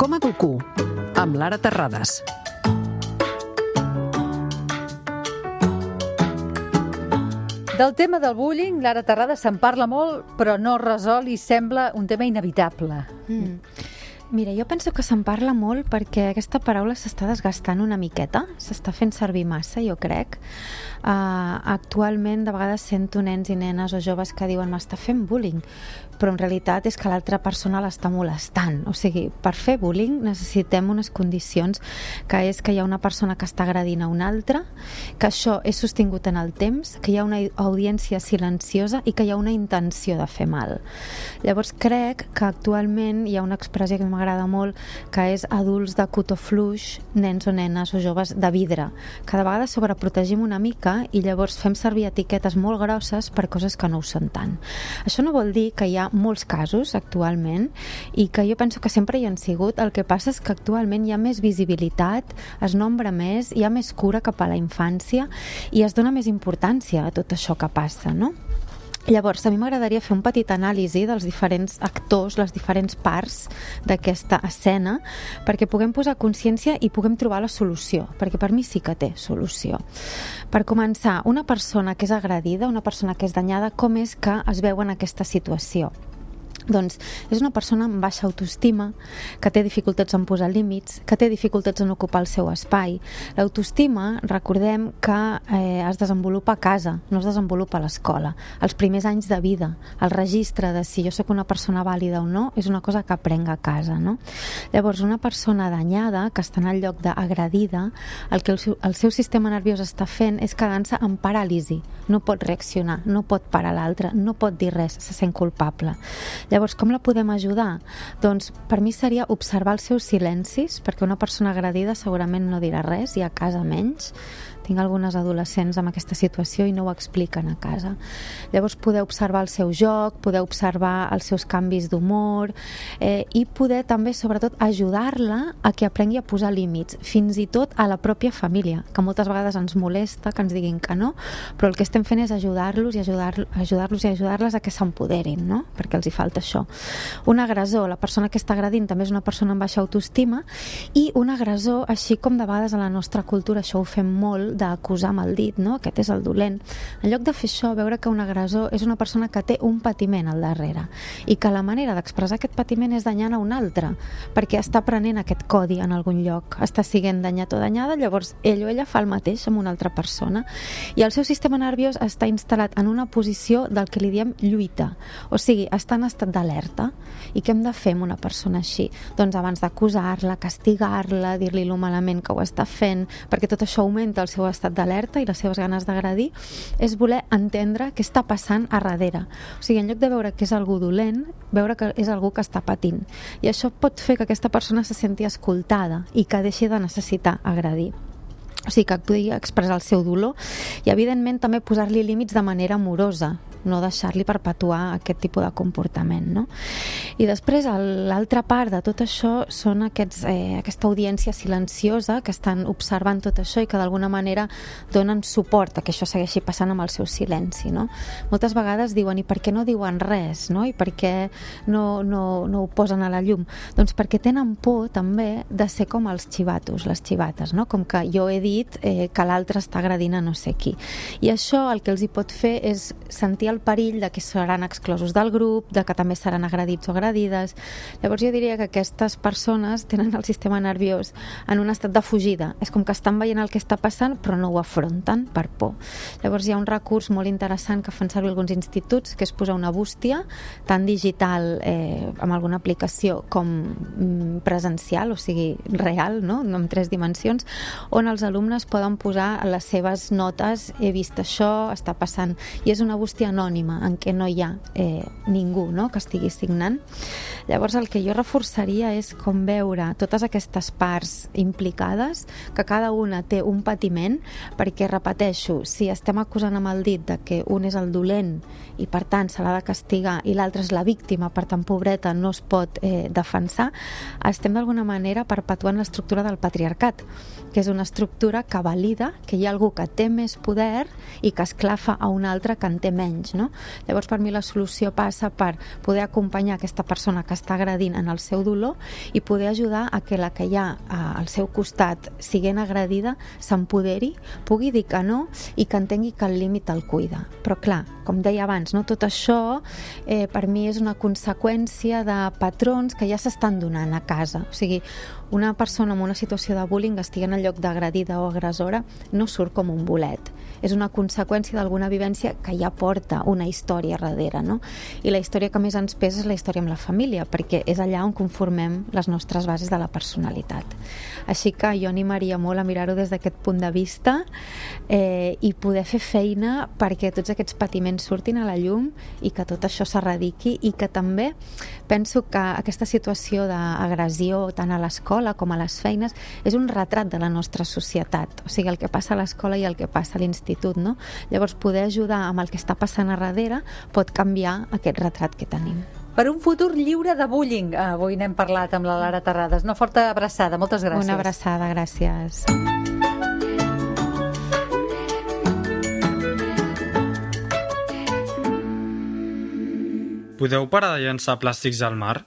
Com educo? Amb Lara Terrades. Del tema del bullying, Lara Terrades se'n parla molt, però no resol i sembla un tema inevitable. Mira, jo penso que se'n parla molt perquè aquesta paraula s'està desgastant una miqueta, s'està fent servir massa, jo crec. Actualment, de vegades sento nens i nenes o joves que diuen m'està fent bullying, però en realitat és que l'altra persona l'està molestant. O sigui, per fer bullying necessitem unes condicions, que és que hi ha una persona que està agredint a una altra, que això és sostingut en el temps, que hi ha una audiència silenciosa i que hi ha una intenció de fer mal. Llavors crec que actualment hi ha una expressió que m'agrada molt, que és adults de cotó fluix, nens o nenes o joves de vidre. Cada vegada sobreprotegim una mica i llavors fem servir etiquetes molt grosses per coses que no ho són tant. Això no vol dir que hi ha molts casos actualment i que jo penso que sempre hi han sigut. El que passa és que actualment hi ha més visibilitat, es nombra més, hi ha més cura cap a la infància i es dona més importància a tot això que passa, no? Llavors, a mi m'agradaria fer un petit anàlisi dels diferents actors, les diferents parts d'aquesta escena, perquè puguem posar consciència i puguem trobar la solució, perquè per mi sí que té solució. Per començar, una persona que és agredida, una persona que és danyada, com és que es veu en aquesta situació? Doncs és una persona amb baixa autoestima, que té dificultats en posar límits, que té dificultats en ocupar el seu espai. L'autoestima, recordem que es desenvolupa a casa, no es desenvolupa a l'escola. Els primers anys de vida, el registre de si jo sóc una persona vàlida o no, és una cosa que aprenc a casa, no? Llavors, una persona danyada, que està en el lloc d'agredida, el que el seu sistema nerviós està fent és quedant-se en paràlisi. No pot reaccionar, no pot parar l'altre, no pot dir res, se sent culpable. Llavors, com la podem ajudar? Doncs per mi seria observar els seus silencis, perquè una persona agredida segurament no dirà res i a casa menys. Tinc algunes adolescents amb aquesta situació i no ho expliquen a casa. Llavors poder observar el seu joc, poder observar els seus canvis d'humor i poder també, sobretot, ajudar-la a que aprengui a posar límits, fins i tot a la pròpia família, que moltes vegades ens molesta que ens diguin que no, però el que estem fent és ajudar-los i ajudar-les a que s'empoderin, no? Perquè els hi falta això. Un agressor, la persona que està agredint, també és una persona amb baixa autoestima, i un agressor, així com de vegades a la nostra cultura això ho fem molt, d'acusar amb el dit, no? Aquest és el dolent. En lloc de fer això, veure que un agressor és una persona que té un patiment al darrere i que la manera d'expressar aquest patiment és danyant a un altre, perquè està prenent aquest codi en algun lloc, està sent danyat o danyada, llavors ell o ella fa el mateix amb una altra persona i el seu sistema nerviós està instal·lat en una posició del que li diem lluita, o sigui, està en estat d'alerta. I què hem de fer amb una persona així? Doncs abans d'acusar-la, castigar-la, dir-li lo malament que ho està fent, perquè tot això augmenta el seu estat d'alerta i les seves ganes d'agredir, és voler entendre què està passant a darrere. O sigui, en lloc de veure que és algú dolent, veure que és algú que està patint. I això pot fer que aquesta persona se senti escoltada i que deixi de necessitar agredir. O sigui, que pugui expressar el seu dolor i, evidentment, també posar-li límits de manera amorosa, no deixar-li perpetuar aquest tipus de comportament, no? I després, l'altra part de tot això són aquesta audiència silenciosa que estan observant tot això i que d'alguna manera donen suport a que això segueixi passant amb el seu silenci, no? Moltes vegades diuen, i per què no diuen res, no? I per què no ho posen a la llum? Doncs perquè tenen por també de ser com els xivatos, les xivates, no? Com que jo he dit que l'altre està agredint a no sé qui. I això el que els hi pot fer és sentir el perill de que seran exclosos del grup, de que també seran agredits o agredides. Llavors jo diria que aquestes persones tenen el sistema nerviós en un estat de fugida. És com que estan veient el que està passant però no ho afronten per por. Llavors hi ha un recurs molt interessant que fan servir alguns instituts, que és posar una bústia, tant digital amb alguna aplicació com presencial, o sigui, real, no? En 3 dimensions, on els alumnes poden posar les seves notes, he vist això, està passant, i és una bústia anònima en què no hi ha ningú, no?, que estigui signant. Llavors el que jo reforçaria és com veure totes aquestes parts implicades, que cada una té un patiment, perquè, repeteixo, si estem acusant amb el dit de que un és el dolent i per tant se l'ha de castigar i l'altre és la víctima, per tant pobreta no es pot defensar, estem d'alguna manera perpetuant l'estructura del patriarcat, que és una estructura que valida que hi ha algú que té més poder i que esclafa a un altre que en té menys, no? Llavors, per mi la solució passa per poder acompanyar aquesta aquesta persona que està agredint en el seu dolor i poder ajudar a que la que hi ha al seu costat siguent agredida s'empoderi, pugui dir que no i que entengui que el límit el cuida. Però clar, com deia abans, no? Tot això per mi és una conseqüència de patrons que ja s'estan donant a casa. O sigui, una persona en una situació de bullying, estigui en el lloc d'agredida o agressora, no surt com un bolet. És una conseqüència d'alguna vivència que ja porta una història darrere, no? I la història que més ens pesa és la història amb la família, perquè és allà on conformem les nostres bases de la personalitat. Així que jo animaria molt a mirar-ho des d'aquest punt de vista i poder fer feina perquè tots aquests patiments surtin a la llum i que tot això s'erradiqui, i que també penso que aquesta situació d'agressió tant a l'escola com a les feines és un retrat de la nostra societat, o sigui, el que passa a l'escola i el que passa a l'institut, no? Llavors, poder ajudar amb el que està passant a darrere pot canviar aquest retrat que tenim. Per un futur lliure de bullying. Avui n'hem parlat amb la Lara Terrades. Una forta abraçada. Moltes gràcies. Una abraçada, gràcies. Podeu parar de llançar plàstics al mar?